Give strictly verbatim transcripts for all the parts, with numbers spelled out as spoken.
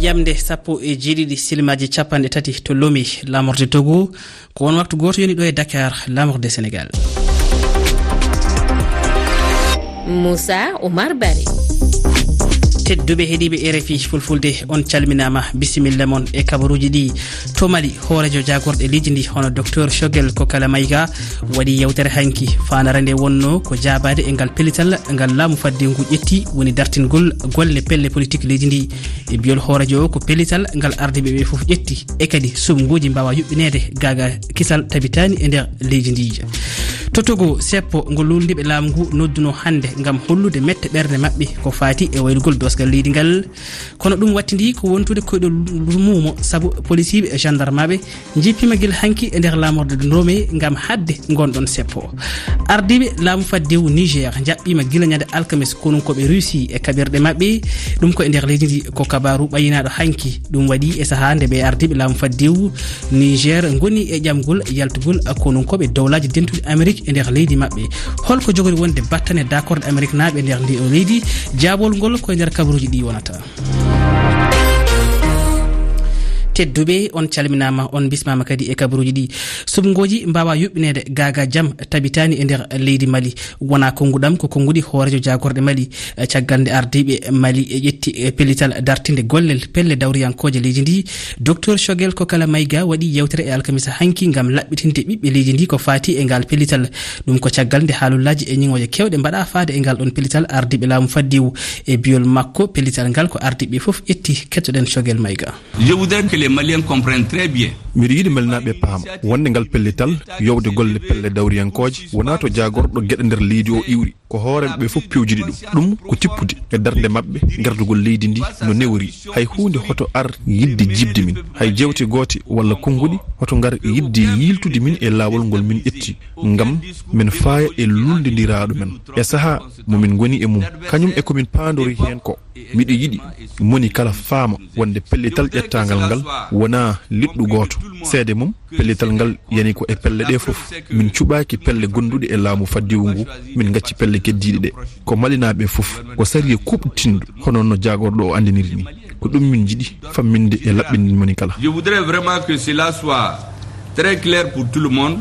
Yamde sappo e jeeɗiɗi silmaaji capanɗe tati to Lomé, laamorde Togo. Ko won waktu gooto yoni ɗo e Dakar, laamorde Sénégal. Moussa Oumar Barry. Tedduɓe heɗiiɓe R F I Fulfulde, on calminaama, bisimilla mon e kabaruuji ɗi. To Mali, hooreejo jaagorɗe leydi ndi, hono Docteur Choguel Kokala Maïga, waɗi yewtere hanki. Faandaare nde wonno ko jaabaade e ngal pellital ngal laamu fadde ngu ƴetti, woni dartingol golle pelle politik leydi ndi. E biyol hooreejo o, ko pellital ngal ardiiɓe ɓe fof ƴetti, e kadi suɓngooji mbaawa yuɓɓineede gaaga kisal tabitaani e nder leydi ndi. To Togo, seppo ngo luulndiiɓe laamu ngu nodduno hannde ngam hollude mette ɓernde maɓɓe ko faati e waylugol doosgal leydi ngal. Kono ɗum wattindi ko wontude koyɗol muumo, sabu polisiiɓe e gendarmaaɓe njippiima gila hanki e nder laamorde Lomé ngam haɗde ngon ɗon seppo. Ardiiɓe laamu faddewu Niger njaɓɓiima gila ñande alkames konunkooɓe Russie e kaɓirɗe maɓɓe. Ɗum ko e nder leydi ndi, ko kabaaru ɓayyinaaɗo hanki. Ɗum waɗi e sahaa nde ɓe ardiiɓe laamu faddewu Niger ngoni e ƴamgol yaltugol konunkooɓe Dowlaaji Dentuɗi Amerik e nder leydi maɓɓe. Holko jogori wonde battane dakorde Ameriknaaɓe e nder ndi o leydi? Jaabol ngol ko e nder kabaruuji ɗi wonata. Tedduɓe, on calminaama, on bismaama kadi e kabaruuji ɗi. Suɓngooji mbaawa yuɓɓineede gaaga jam tabitaani e nder leydi Mali. Wonaa konnguɗam, ko konnguɗi hooreejo jaagorɗe Mali. Eh, caggal nde ardiiɓe Mali e ƴetti, eh, pellital dartinde gollel pelle dawriyankooje leydi ndi, Docteur Choguel Kokala Maïga waɗi yewtere e alkamisa hanki ngam laɓɓitinde ɓiɓɓe leydi ndi ko faati e ngal pellital. Ɗum ko caggal nde haalullaaji e ñiŋooje keewɗe mbaɗa faade e ngal ɗon pellital ardiiɓe laamu faddewu. E biyol makko, pellital ngal ko ardiiɓe fof ƴetti. Kettoɗen Choguel Maïga. Je voudrais que les Maliens comprennent très bien. Miɗo yiɗi Malinaaɓe paama wonde ngal pellital yowde golle pelle dawriyankooje wonaa to jaagorɗo geɗe nder leydi o iwri. Ko hooreeɓe ɓe fof pewjidi ɗum. Ɗum ko tippude e darnde maɓɓe gardugol leydi ndi no newori. Hay huunde hoto ar yiɗde jiɓde min. Hay jewte goote walla konnguɗi hoto ngar yiɗde yiiltude min e laawol ngol min ƴetti ngam min faaya e luulndidiraaɗo men. E sahaa mo min ngoni e mum, kañum e ko min paandori heen ko, miɗo yiɗi moni kala faama wonde pellital ƴettaangal ngal wonaa liɗɗu gooto. Seede mum, pellital ngal yani ko e pelle ɗe fof. Min cuɓaaki pelle gonduɗe e laamu faddewu ngu, min ngacci pelle keddiiɗe ɗe. Ko Malinaaɓe fof, ko sariya kuuɓtinɗo, hono no jaagorɗo o anndiniri ni. Ko ɗum min njiɗi famminde e laɓɓinde moni kala. Je voudrais vraiment que cela soit très clair pour tout le monde.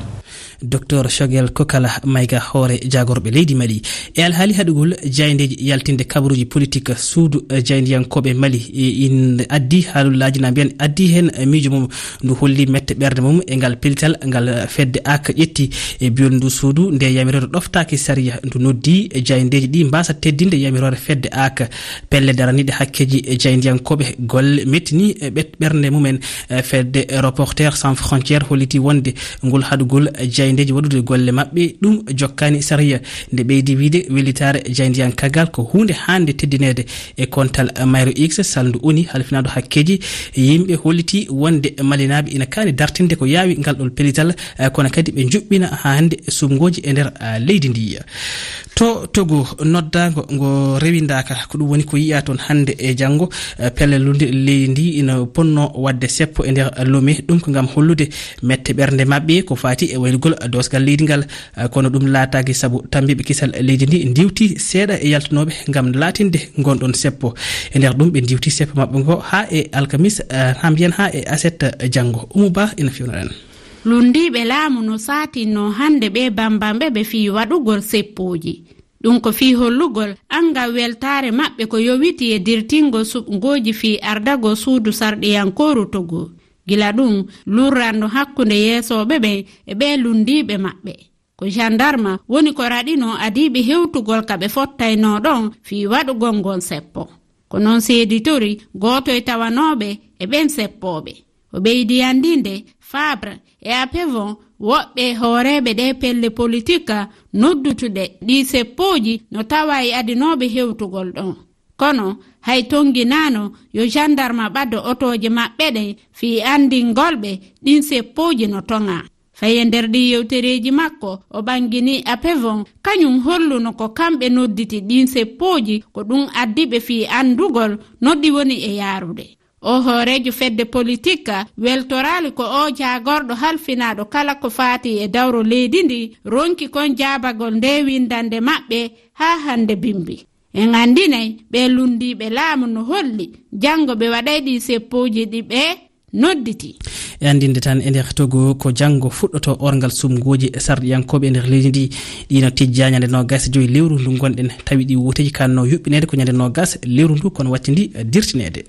Docteur Choguel Kokala Maïga, hoore jaagorɓe leydi Mali. E alhaali haɗugol jaayndeeji yaltinde kabaruuji politik, suudu, eh, jaayndiyankooɓe Mali, e, in addi haalullaaji na mbiyan addi heen, eh, miijo mum. Ndu holli mette ɓernde mum e ngal pellital ngal, eh, fedde ak ƴetti. E biyol ndu suudu, nde yamiroore ɗoftaaki sariya, ndu noddi, eh, jaayndeeji ɗi mbaasa teddinde yamiroore fedde ak. Pelle daraniiɗe hakkeeji, eh, jaayndiyankooɓe golle mettini, eh, ɓet-, ɓernde mumen. Eh, fedde Reporters Sans Frontières holliti wonde ngol haɗugol jaayndeeji waɗude golle maɓɓe, ɗum jokkaani sariya. Nde ɓeydi wiyde wellitaare jaayndiyankaagal ko huunde haande teddineede. E kontal mayru X, salndu O N U halfinaaɗo hakkeeji yimɓe holliti wonde Malinaaɓe ina kaani dartinde ko yaawi ngal ɗon pellital, eh, kono kadi ɓe njuɓɓina haa hannde suɓngooji e nder, ah, leydi ndi. To Togo, noddaango ngo rewindaaka, ko ɗum woni ko yiya toon hannde e janngo, eh, pelle luulnde leydi ndi ina ponno waɗde seppo e nder Lomé. Ɗum ko ngam hollude mette ɓernde maɓɓe ko faati e waylugol doosgal leydi ngal. Eh, kono ɗum laataaki sabu tambiiɓe kisal leydi ndi ndiwti seeɗa e yaltunooɓe ngam laatinde ngon ɗon seppo. E nder ɗum ɓe ndiwti seppo maɓɓe ngo haa e alkamis, eh, haa mbiyen haa e aset, eh, janngo. Umu Ba ina fewna en. Lunndiiɓe laamu no saatinno hannde ɓe bambanɓe ɓe fii waɗugol seppooji. Ɗum ko fii hollugol anngal weltaare maɓɓe ko yowiti e dirtingol suɓngooji fii ardagol suudu sarɗiyankooru Togo. Gila ɗum, lurranno hakkunde yeesooɓe ɓen e ɓee lunndiiɓe maɓɓe. Ko jandarma woni ko raɗinoo adiiɓe hewtugol ka ɓe fottaynoo ɗon fii waɗugol ngon seppo. Ko non seeditori gooto e tawanooɓe e ɓen seppooɓe. O ɓeydi anndinde Fabre e Apevon woɓɓe hooreeɓe ɗee pelle politik noddutuɗe ɗii seppooji no tawa e adinooɓe hewtugol ɗon. Kono hay tonnginaano yo jandarma ɓaddo otooje maɓɓe ɗen fii anndingol ɓe ɗin seppooji no toŋaa. Faye nder ɗii yewtereeji makko, o ɓanngini Apevon, kañum holluno ko kamɓe nodditi ɗin seppooji, ko ɗum addi ɓe fii anndugol no ɗi woni e yaarude. O hooreejo fedde politik weltoraali ko o jaagorɗo halfinaaɗo kala ko faati e dawro leydi ndi ronki kon jaabagol nde winndannde maɓɓe haa hannde bimbi. En anndinay ɓee lunndiiɓe laamu no holli janngo ɓe waɗay ɗii seppooji ɗi ɓe nodditi. E anndinde tan, e nder Togo, ko janngo fuɗɗoto orngal suɓngooji sarɗiyankooɓe e nder leydi ndi. Ɗi no tijjaa ñande noogas e joy lewru ndu ngonɗen, tawi ɗi wooteeji kanno yuɓɓineede ko ñande noogas lewru ndu, kono wattindi dirtineede.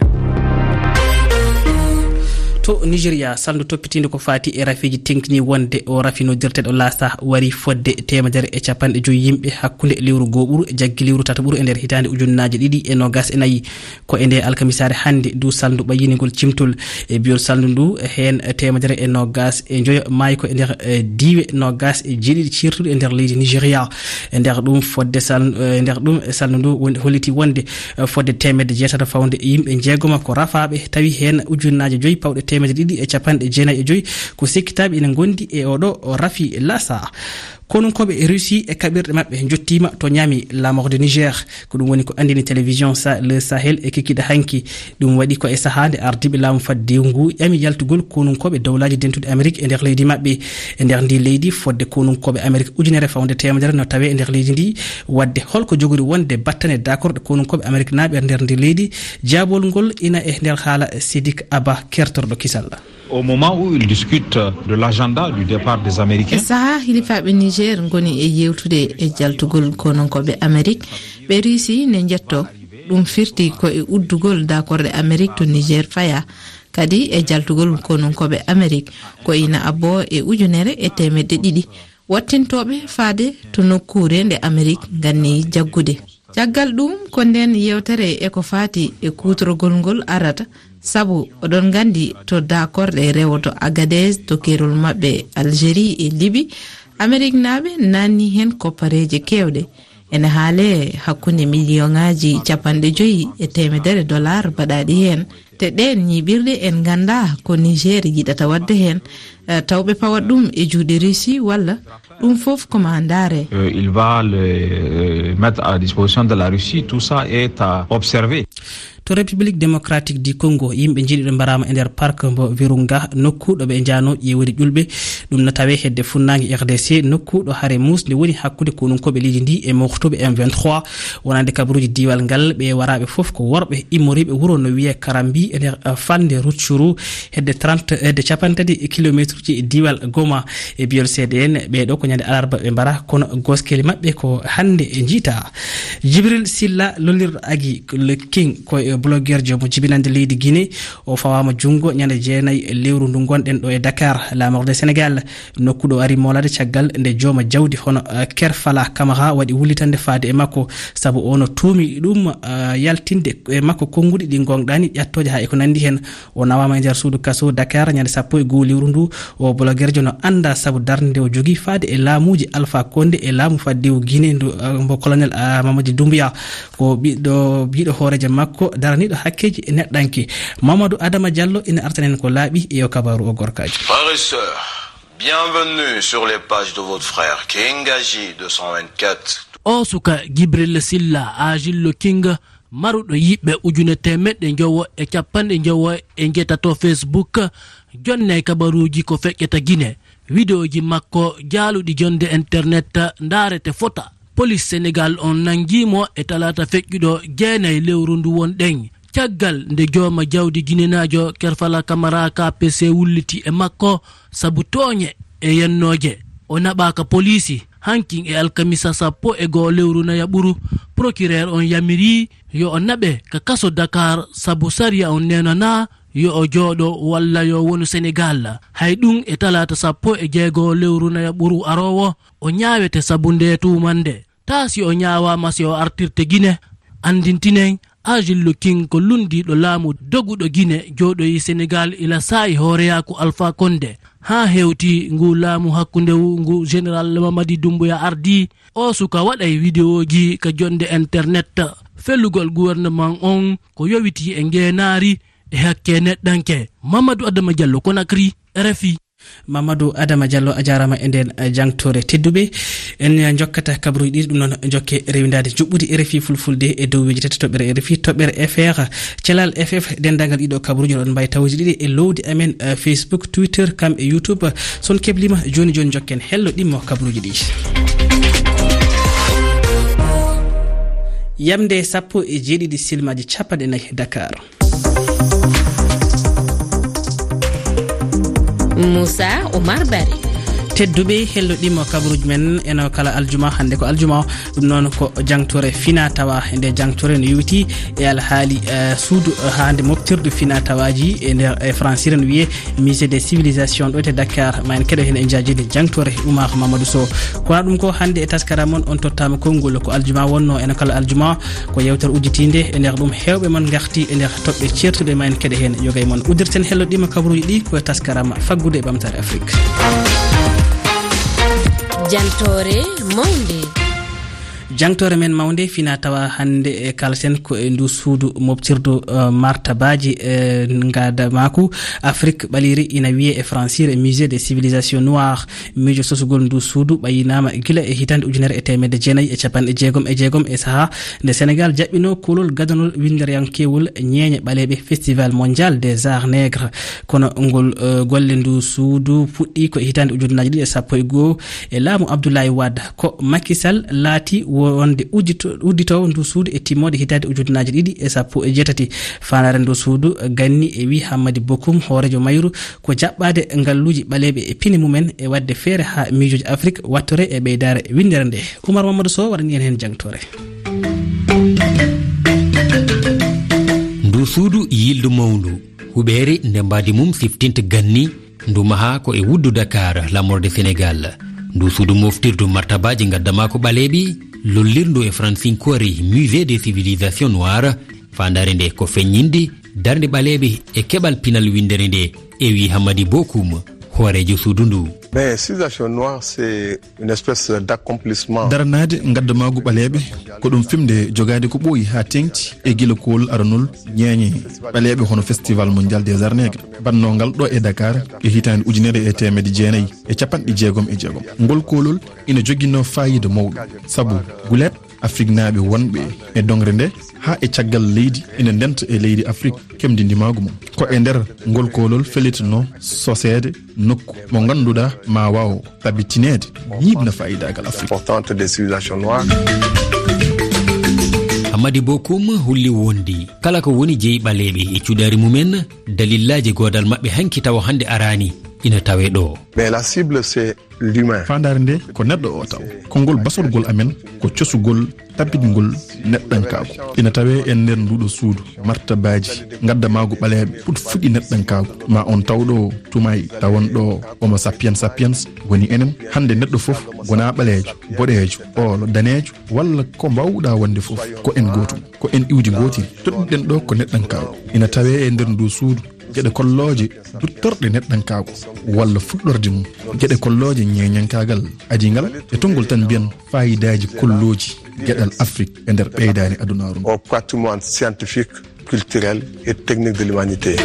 To Nigeria, salndu toppitiinde ko faati e rafiiji teŋtini wonde o rafi noddirteeɗo Lasa wari fodde teemedere e capanɗe joy yimɓe hakkunde lewru gooɓuru e jaggi lewru tataɓuru e nder hitaande ujunnaaje ɗiɗi e noogas e nayi. Ko e nde alkamisaare hannde ndu salndu ɓayyini ngol cimtol. E biyol salndu ndu, heen teemedere e noogas e njoyo maayi ko e nder, eh, diiwe noogas e jeeɗiɗi ceertuɗe e nder leydi Nigeria. E nder ɗum fodde sal-, eh, nder ɗum salndu ndu woni, holliti wonde, eh, fodde teemedde jeetato fawde yimɓe jeegoma ko rafaaɓe, tawi heen ujunnaaje joy pawɗe teemedde ɗiɗi e capanɗe jeenayi e joy ko sekkitaaɓe ina ngondi e oɗo rafi Lasa. Konunkooɓe Russie e kaɓirɗe maɓɓe njottiima to Niamey, la mort de Niger. Ko ɗum woni ko anndini télévision Sa-, Le Sahel e kikiiɗe hanki. Ɗum waɗi ko e sahaa nde ardiiɓe laamu faddewu ngu ƴami yaltugol konunkooɓe Dowlaaji Dentuɗi Amerik e nder leydi maɓɓe. E nder ndi leydi, fodde konunkooɓe Amerik ujunere fawde teemedere no tawee e nder leydi ndi. Waɗde holko jogori wonde battane dakorɗe konunkooɓe Ameriknaaɓe e nder ndi leydi? Jaabol ngol ina e nder haala Sidik Aba, kertorɗo kisal. Au moment où ils discutent de l'agenda du départ des Américains. E sahaa hilifaaɓe Niger ngoni e yewtude e jaltugol konunkooɓe Amerik, ɓe Russie ne njetto. Ɗum firti ko e uddugol dakorɗe Amerik to Niger faya, kadi e jaltugol konunkooɓe Amerik ko ina abbo e ujunere e teemedde ɗiɗi wattintooɓe faade to nokkuure nde Amerik nganni jaggude. Caggal ɗum, ko nden yewtere e ko faati e kuutorgol ngol arata, sabu oɗon nganndi to dakorɗe rewoto Agadez to keerol maɓɓe Algérie e Libi, Ameriknaaɓe naanni heen koppareeje keewɗe. Ene haalee hakkunde miliyonaaji capanɗe joyi e teemedere dollar baɗaaɗi heen. Te ɗeen ñiiɓirɗe en nganndaa ko Niger yiɗata waɗde heen, eh, taw ɓe pawat ɗum e juuɗe Russie walla ɗum fof ko maa ndaare. Euh, il va le, euh, mettre à disposition de la Russie, tout ça est à observer. To République Démocratique du Congo, yimɓe jeeɗiɗo mbaraama e nder park mbo Virunga, nokku ɗo ɓe njaano ƴeewori ƴulɓe. Ɗum no tawee hedde funnaange R D C, nokku ɗo hare muusnde woni hakkunde konunkooɓe leydi ndi e mooftooɓe M vingt-trois. Wonande kabaruuji diiwal ngal, ɓe waraaɓe fof ko worɓe immoriiɓe wuro no wiyee Karambi e nder, eh, falnde Rutshuru, hedde trente, hedde cappanɗe tati kilomeetruuji e diiwal Goma. E biyol C D N, ɓeeɗo ko ñande alarba ɓe mbara, kono goskeli maɓɓe ko hannde e njiita. Jibril Silla, lollirɗo Agi le King, ko e blogueurjo mo jibinande leydi Guinée. O fawaama junngo ñande jeenayi lewru ndu ngonɗen ɗo e Dakar, la mort de Sénégal. Nokku ɗo ari moolade caggal nde jooma jawdi hono, eh, Kerfala Kamara waɗi wullitande faade e makko, sabu o no tuumi ɗum, eh, yaltinde e makko konnguɗi ɗi ngoongɗaani ƴattooje haa e ko nanndi heen. O nawaama e nder suudu kaso Dakar ñande sappo e goo lewru ndu. O blogueurjo no anndaa sabu darnde nde o jogii faade e laamuuji Alpha Condé e laamu faddewu Guinée ndu, eh, mbo colonel, eh, Mamadi Doumbouya. Ko ɓiɗɗo, ɓiɗɗo hooreejo makko daraniiɗo hakkeeji neɗɗanke. Mamadou Adama Diallo ina artanen ko laaɓi e o kabaaru o gorkaaji. Frères et sœurs, bienvenue sur les pages de votre frère King Agi deux cent vingt-quatre. O suka Jibril Silla, Agillo King, maruɗo yiɓɓe ujune teemeɗɗe njowo e capanɗe njowo e njeetato Facebook, jonnay kabaruuji ko feƴƴata Gine. Wideoji makko jaaluɗi jonde internet ndaarete fota. Polis Senegal on nanngii mo e talaata feƴƴuɗo jeenay lewru ndu wonɗen, caggal nde jooma jawdi ginenaajo Kerfala Kamara K P C wulliti e makko sabu tooñe e yennooje. O naɓaaka poliisi. Hankin e alkamisa sappo e goo lewru nayaɓuru, procureur on yamirii yo o naɓe ka kaso Dakar sabu sariya on neenanaa yo o jooɗo walla yo wonu Senegal. Hay ɗum e talaata sappo e jeego lewru nayaɓuru aroowo, o ñaawete sabu ndee tuumannde. Taa si o ñaawaama, si o artirte Gine. Anndintinen, Agillo King ko lunndiiɗo laamu doguɗo Gine, jooɗoyi Senegal ila saa'i hooreyaaku Alpha Condé. Haa hewti ngu laamu hakkundewu ngu Général Mamadi Doumbouya ardii, o suka waɗay wideooji ka jonnde internet. Felugol gouvernement on ko yowitii e ngeenaari e hakke neɗɗanke. Mamadou Adama Diallo, Conakry, R F I. Mamadou Adama Diallo, a jaaraama e ndeen, eh, jangtoore. Tedduɓe, en njokkata kabaruuji ɗiɗi, ɗum noon njokke rewindaade njuɓɓudi R F I Fulfulde e dow weji tati toɓɓere R F I, toɓɓere F R, Calal F F, denndaangal ɗiɗo kabaruuji oɗon mbaawi tawde ɗiɗi e lowdi amen, eh, Facebook, Twitter, kam e YouTube. So on kebliima, jooni jooni njokken hello ɗimmo kabaruuji ɗi. Yamde sappo e jeeɗiɗi silmaaji capanɗe nayi Dakar. Moussa Oumar Barry. Tedduɓe helloɗiima kabaruuji men eno kala aljuma, hannde ko aljuma o, ɗum noon ko jangtore fina tawa. E nde jangtore no yowiti e alhaali, eh, suudu, eh, hannde moftirdu fina tawaaji e nder, e Fransire no wiyee Musée des Civilisations ɗo to Dakar. Ma en keɗo heen e njaajeendi jangtore Oumar Mamadou Sow. Kono ɗum ko hannde e taskaram mon on tottaama konngol ko aljuma wonno eno kala aljuma. Ko yewtere udditiinde e nder ɗum heewɓe mon ngarti e nder toɓɓe ceertuɗe, ma en keɗe heen yoga e mon. Uddirten helloɗiima kabaruuji ɗi ko e taskaram faggudu e ɓamtaare Afrik. Jantore mawnde. Jangtore men mawnde fina tawa hannde e kalten ko e ndu suudu moftirdu, eh, martabaaji, eh, ngadamaaku Afrik ɓaleeri ina wiyee e Fransire Musée des Civilisations Noires. Miijo sosugol ndu suudu ɓayinaama gila e hitaande ujunere e teemedde jeenayi e capanɗe jeegom e jeegom e sahaa nde Senegal jaɓɓinoo koolol gadanol winnderankewol ñeeñe ɓaleeɓe, Festival Mondial des Arts Nègres. Kono ngol, eh, golle ndu suudu puɗɗi ko e hitaande ujunnaaji ɗiɗi e sappo e goo e laamu Abdoulaye Wade. Ko Macky Sall laati wonde uddito-, udditoowo ndu suudu e timmoode hitaande ujunnaaji ɗiɗi e sappo e jeetati. Faandaare ndu suudu ganni e wii Hammadi Bokum, hooreejo mayru, ko jaɓɓaade ngalluuji ɓaleeɓe e pine mumen e waɗde feere haa miijooji Afrik wattore e ɓeydaare winndere nde. Oumar Mamadou Sow waɗani en heen jangtore. Ndu suudu yildu mawndu, huɓeere nde mbaadi mum siftinta ganni, ndu mahaa ko e wuddu Dakar, laamorde Senegal. Ndu suudu moftirdu martabaaji ngaddamaaku ɓaleeɓe, lollirndu e fransinkoore Musée des Civilisations Noires, faandaare nde ko feññinde darnde ɓaleeɓe e keɓal pinal winndere nde, e wii Hammadi Bokum, hooreejo suudu ndu. Mais civilisation noire, c'est une espèce d'accomplissement. Daranaade ngaddamaagu ɓaleeɓe ko ɗum fimde jogaade ko ɓooyi haa teeŋti e gila koolol aranol ñeeñe ɓaleeɓe hono Festival Mondial des Arts Nègres, bannongal ɗo e Dakar e hitaande ujunere e teemedde jeenayi e capanɗe jeegom e jeegom. Ngol koolol ina joginoo faayiida mawɗo, sabu guleet Afriknaaɓe wonɓe e doŋre nde haa e caggal leydi ina ndenta e leydi Afrik keɓdi ndimaagu mum. Ko e nder ngol koolol fellitnoo soseede nokku mo ngannduɗaa ma waaw tabitineede ñiiɓna faayiidaagal Afrik. Importante des civilisations noires. Hammadi Bokum holli wonde kala ko woni jeyi ɓaleeɓe e cuɗaari mumen, dalillaaji goodal maɓɓe hanki tawa hannde araani ina tawee ɗo. Mais la cible, c'est l'humain. Faandaare nde ko neɗɗo o taw. Konngol basorgol amen ko cosugol tabitgol neɗɗankaagu. Ina tawee e nder nduuɗo suudu martabaaji ngaddamaagu ɓaleeɓe, puɗ fuɗi neɗɗankaagu. Ma on taw ɗo tumaay tawon ɗo Homo sapiens sapiens woni enen. Hannde neɗɗo fof wonaa ɓaleejo, boɗeejo, oolo, daneejo, walla ko mbaawɗaa wonde fof. Ko en gootum, ko en iwdi ngootiri. Toɗɗiɗen ɗo ko neɗɗankaagu. Ina tawee e nder ndu suudu geɗe kollooje duttorɗe neɗɗankaagu walla fuɗɗorde mum, geɗe kollooje ñeeñankaagal adingal, e tonngol tan mbiyen faayidaaji kollooji geɗal Afrik e nder ɓeydaani adunaaru ndu. Au patrimoine scientifique, culturel et technique de l'humanité.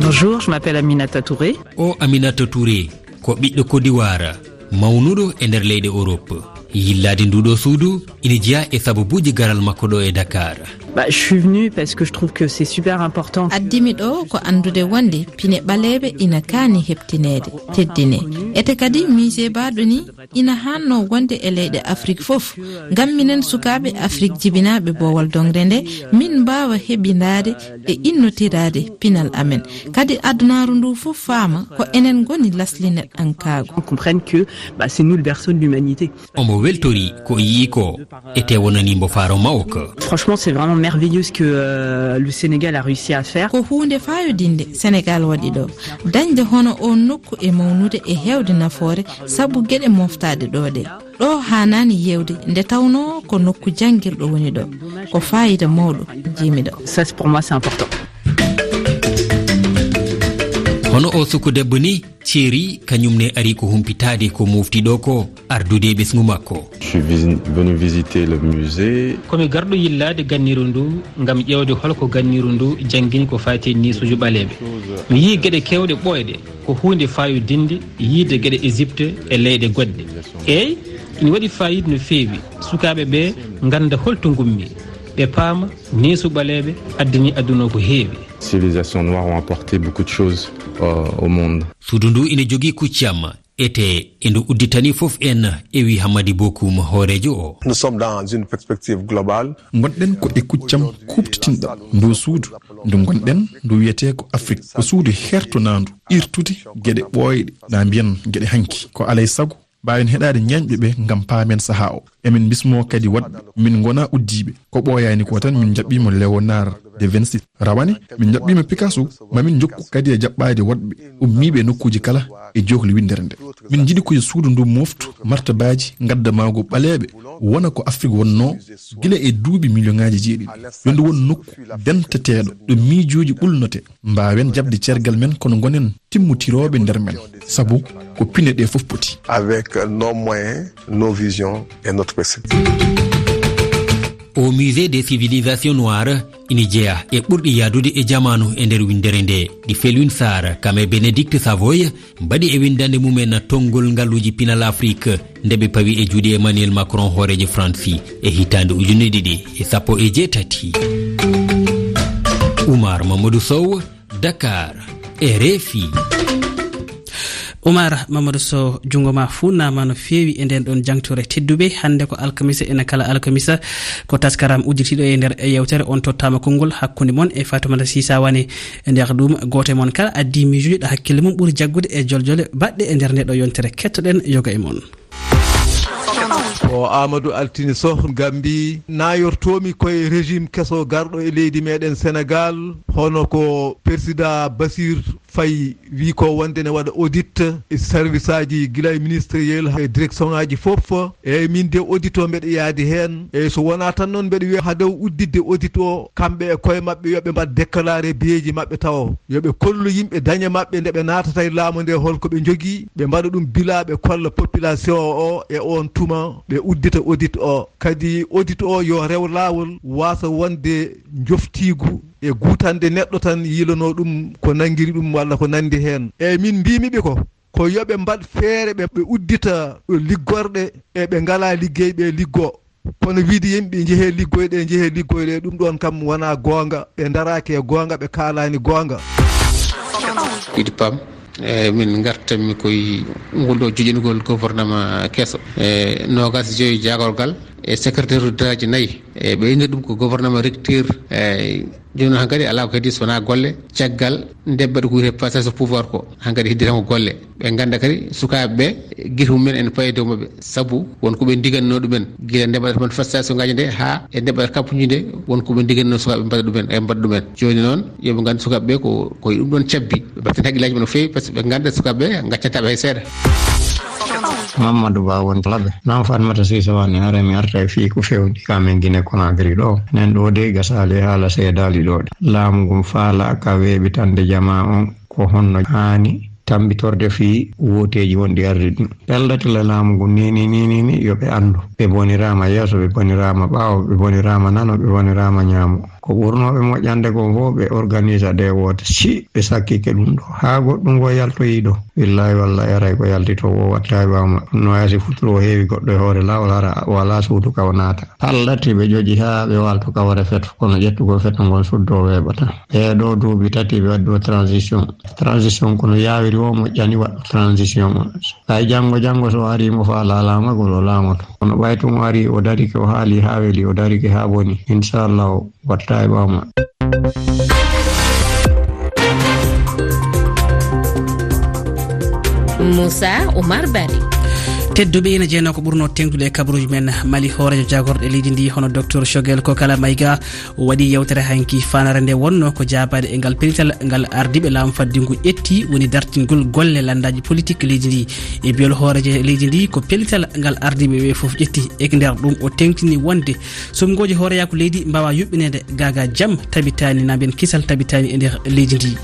Bonjour, je m'appelle Aminata Touré. O Aminata Touré ko ɓiɗɗo Kodiwaara, mawnuɗo e nder leyɗe Europe. Yillaade nduɗo suudu ina jeyaa e sababuuji garal makko ɗo e Dakar. Bah, je suis venue parce que je trouve que c'est super important. Addimi ɗo ko anndude wonde pine ɓaleeɓe ina kaani heɓtineede, teddinee. Ete kadi, musée baaɗo ni ina haannoo wonde e leyɗe Afrik fof, ngam minen sukaaɓe Afrik jibinaaɓe boowal doŋre nde, min mbaawa heɓindaade e innotiraade pinal amen. Kadi adunaaru ndu fof faama ko enen ngoni lasli neɗɗankaagu. On comprenne que, bah, c'est nous le berceau de l'humanité. Omo weltori ko o yi'i ko e te wonani mbo faaro mawko. Franchement, c'est vraiment merveilleux ce que, euh, le Sénégal a réussi à faire. Ko huunde faayodinde Senegal waɗi ɗo. Dañde hono oon nokku e mawnude e heewde nafoore sabu geɗe moftaaɗe ɗo ɗe. Ɗo haanaani yeewde nde tawnoo ko nokku janngirɗo woni ɗo. Ko faayiida mawɗo njiimi ɗo. Ça, c'est, pour moi, c'est important. Hono o suku debbo ni, Thierry, kañum ne ari ko humpitaade ko mofti ɗo ko ardude e ɓesngu makko. Je suis visi-, venu visiter le musée. Ko mi garɗo yillaade ganniru ndu ngam ƴeewde holko ganniru ndu janngini ko faati e niisuuji ɓaleeɓe. Mi yii geɗe keewɗe ɓooyɗe, ko huunde faayodinde yiide geɗe Égypte e leyɗe goɗɗe. Eey, ina waɗi faayiida no feewi. Sukaaɓe ɓe ngannda holto ngummi, ɓe paama niisu ɓaleeɓe addini aduna ko heewi. Civilisations noires ont apporté beaucoup de choses, euh, au monde. Suudu ndu ina jogii kuccam. Ete e ndu udditani fof en, e wi Hammadi Bokum, hooreejo o. Nous sommes dans une perspective globale. Ngonɗen ko e kuccam kuuɓtitinɗam ndu suudu, ndu ngonɗen, ndu wiyetee ko Afrik. Ko suudu hertonaandu, irtude geɗe ɓooyɗe, na mbiyen geɗe hanki. Ko alay sago mbaawen heɗaade ñeeñɓe ɓe ngam paamen sahaa o. Emin mbismoo kadi waɗɓe, min ngonaa uddiiɓe. Ko ɓooyaani ko tan, min njaɓɓiima Léonard de Vinci. Rawane, min njaɓɓiima Picasso, ma min njokku kadi e jaɓɓaade waɗɓe ummiiɓe e nokkuuji kala e jookli winndere nde. Min njiɗi ko yo suudu ndu mooftu martabaaji ngaddamaagu ɓaleeɓe, wona ko Afrik wonnoo gila e duuɓi miliyoŋaaji jeeɗiɗi. Yo ndu won nokku denteteeɗo ɗo miijooji ɓulnotee, mbaawen jaɓde ceergal men kono ngonen timmutirooɓe nder men, sabu ko pine ɗe fof poti. Avec nos moyens, nos visions et notre perspective. Au Musée des Civilisations Noires ina jeyaa e ɓurɗi yahdude e jamaanu e nder winndere nde, ɗi Felwine Sarr, kam e Bénédicte Savoy, mbaɗi e winndannde mumen tonngol ngaluuji pinal Afrik, nde ɓe pawi e juuɗe Emmanuel Macron, hooreejo Faransi, e hitaande ujunere ɗiɗi e sappo e jeetati. Oumar Mamadou Sow, Dakar, R F I. Oumar Mamadou Sow, junngo ma fuunnaama no feewi e ndeen ɗoon jangtore. Tedduɓe, hannde ko alkamisa, ena kala alkamisa, ko taskaram udditiiɗo e nder yeewtere On Tottaama Konngol hakkunde mon e Fatoumata Sisa Wane. E nder ɗum, gooto e mon kala addi miijuuji ɗo hakkille mum ɓuri jaggude e joljole baɗɗe e nder nde ɗo yontere. Kettoɗen yoga e mon. Ko Amadou Altine Soh, Gambi, nayortoomi koye régime keso garɗo e leydi meɗen Sénégal, hono ko Président Bassir Faye wi ko wonde ne waɗa audit e service aji gila e ministériel e direction aji fof. Eyyi, min de audit o mbeɗa yaadi heen. Eyyi, so wonaa tan noon mbeɗa wiya hade o udditde audit o, kamɓe e koye maɓɓe yo ɓe mbaɗ déclaré biyeeji maɓɓe tawo. Yo ɓe kollu yimɓe dañe maɓɓe nde ɓe naatata e laamu nde hol ko ɓe njogii, ɓe mbaɗa ɗum bila ɓe kolla population o e oon tuma ɓe uddita audit o. Kadi audit o yo rew laawol waasa wonde njoftiigu e guutande neɗɗo tan yiilanoo ɗum ko nanngiri ɗum walla ko nanndi heen. Eyyi, min mbiimi ɓe ko, ko yo ɓe mbaɗ feere ɓe, ɓe uddita liggorɗe e ɓe ngalaa liggey ɓe liggoo. Kono wiide yimɓe njehee liggoyɗe, njehee liggoyɗe, ɗum ɗoon kam wonaa goonga. Ɓe ndaraaki e goonga, ɓe kaalaani goonga. Idi Pam, e min ngartanmi koye ngol ɗo joƴingol gouvernement keso. E noogaas e joyo jaagorgal e secrétaire d'État ji nayi. E ɓe innir ɗum ko gouvernement rupture. E jooni noon hankadi alaa ko heddi so wonaa golle. Caggal nde mbaɗi ko wiyetee passation pouvoir ko, hankadi heddi tan ko golle. Ɓe ngannda kadi sukaaɓe ɓe, gite mumen ene payi e dow maɓɓe. Sabu won ko ɓe ndigannoo ɗumen gila nde mbaɗata mon passation ngaji nde haa e nde mbaɗata kampuuji nde, won ko ɓe ndigannoo sukaaɓe mbaɗa ɗumen, e mbaɗa ɗumen. Jooni noon, yo ɓe nganndu sukaaɓe ɓe ko, ko e ɗum ɗoon cabbi. Ɓe mbaɗta hakkillaaji maɓɓe no feewi, par ce que ɓe ngannda sukaaɓe ɓe ngaccantaa ɓe hay seeɗa. Mamadou Ba won Laɓe. Naam Fatmata Sise Wani, hare mi arta e fii ko fewndi ka men Guinée Conakry ɗo. Enen ɗo de gasaali e haala seedaali ɗo de. Laamu ngun faala ka weeɓitande jamaa on ko honno haani tambitorde fii wooteeji wonɗi arde ɗin. Pelɗatila laamu ngun ni, ni, ni, ni, ni, yo ɓe anndu. Ɓe boniraama yeeso, ɓe boniraama ɓaawo, ɓe boniraama nano, ɓe boniraama ñaamo. Ko ɓurnooɓe moƴƴande kon fof ɓe organisa ɗe woote. Si ɓe sakkike ɗum ɗo, haa goɗɗum ngo yaltoyi ɗo. Billahi wallahi aray ko yaltito wo wattahi ɓaama. Ɗum no wayasi futuro o heewi goɗɗo e hoore laawol hara wala suudu ka o naata. Pallati ɓe ƴoƴi haa ɓe walto ka wara feto, kono ƴettugol feto ngon suddo weeɓata. Ɓee ɗo duuɓi tati ɓe waddi o transition. Transition kono yaawiri o moƴƴani waɗɗo transition o. Hay janngo, janngo so o ari mo faala laamagol o laamoto. Kono ɓay tun o ari o darike o haali haa weli, o darike haa boni. Inchallah o watta e ɓaama. Moussa Oumar Bari. Tedduɓe, ina jeyanoo ko ɓurnoo teŋtude e kabaruuji men. Mali, hooreejo jaagorɗe leydi ndi hono Docteur Choguel Kokala Maïga o waɗi yewtere hanki. Fanare nde wonno ko jaabaade e ngal pellital ngal ardiiɓe laamu faddigu ƴetti, woni dartingol golle lanndaaji politik leydi ndi. E biyol hooreejo leydi ndi, ko pellital ngal ardiiɓe ɓe fof ƴetti. E nder ɗum o teŋtini wonde suɓngooji hooreyaaku leydi mbaawa yuɓɓineede gaagaa jam tabitaani, na mbiyen kisal tabitaani e nder leydi ndi.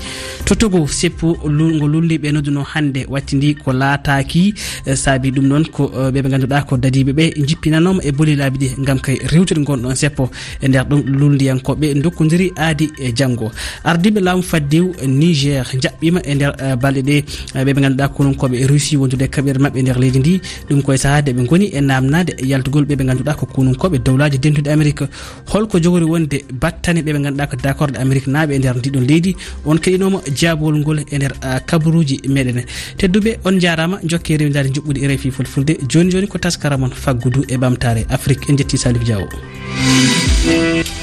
To Togo, seppu lu-, ngo lulli ɓe nodduno hannde wattindi ko laataaki, eh, saabi ɗum noon Ko, eh, ɓe ɓe ngannduɗaa ko dadiiɓe ɓe njippinanooma e boli laabi ɗi ngam kay rewtude ngon ɗon seppo. E nder ɗum, luulndiyankooɓe ndokkondiri aadi e janngo. Ardiiɓe laamu faddewu Niger njaɓɓiima e nder, eh, balɗe ɗe, eh, ɓe ɓe ngannduɗaa konunkooɓe Russie wondude e kaɓirɗe maɓɓe e nder leydi ndi. Ɗum koye sahaa nde ɓe ngoni e naamnaade yaltugol ɓe ɓe ngannduɗaa ko konunkooɓe Dowlaaji Dentuɗi Amerik. Holko jogori wonde battane ɓe ɓe ngannduɗaa ko d'accord e Amerik naaɓe e nder ndiɗon leydi? On keɗinooma jaabowol ngol e nder, ah, kabaruuji meɗen. Tedduɓe, on njaaraama, njokke rewindaade njuɓɓudi R F I Fulfulde. Jooni jooni ko taskaram on faggudu e ɓamtaare Afrik. En njetti Salif Diawo.